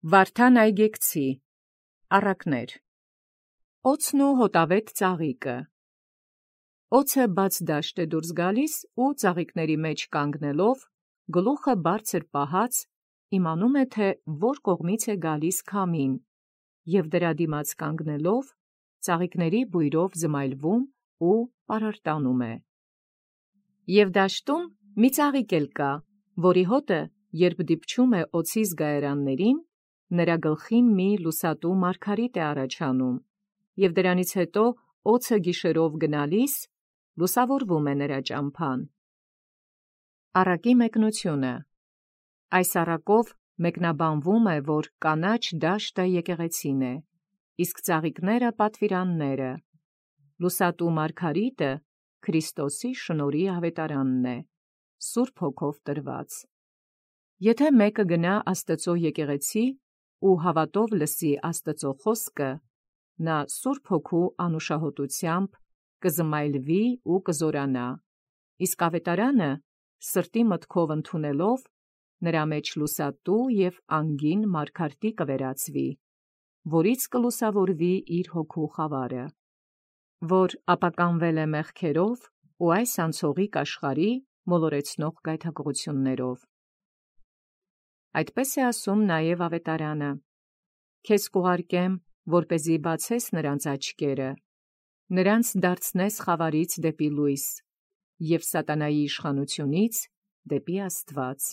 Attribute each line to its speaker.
Speaker 1: Վարդան այգեկցի, առակներ, օձն ու հոտավետ ծաղիկը։ Օձը բաց դաշտ է դուրս գալիս ու ծաղիկների մեջ կանգնելով, գլուխը բարձր պահած, իմանում է, թե որ կողմից է գալիս քամին, և դրա դիմաց կանգնելով, ծաղիկների բույրով զմայլվում ու պարարտանում է։ Եվ դաշտում մի ծաղիկ էլ կա, որի հոտը, երբ դիպչում է օձի զգայարաններին, նրա գլխին մի լուսատու մարգարիտ է առաջանում, և դրանից հետո օձը գիշերով գնալիս, լուսավորվում է նրա ճամփան։ Առակի մեկնությունը։ Այս առակով մեկնաբանվում է, որ կանաչ դաշտը եկեղեցին է, իսկ ծաղիկները պատվիրանները, լուսատու մարգարիտը Քրիստոսի շնորհի ավետարանն է, Սուրբ Հոգով տրված։ Եթե մեկը գնա Աստծո եկեղեցի ու հավատով լսի Աստծո խոսքը, նա Սուրբ Հոգու անուշահոտությամբ կզմայլվի ու կզորանա, իսկ ավետարանը սրտի մտքով ընդունելով, նրա մեջ լուսատու և անգին մարգարտի կվերածվի, որից կլուսավորվի իր հոգու խավարը, որ ապականվել է մեղքերով ու այս անցողիկ աշխարհի մոլորեցնող գայթակղություններով։ Այդպես է ասում նաև ավետարանը. «Քեզ կուղարկեմ, որպեսզի բացես նրանց աչքերը, նրանց դարձնես խավարից դեպի լույս և սատանայի իշխանությունից դեպի Աստված»։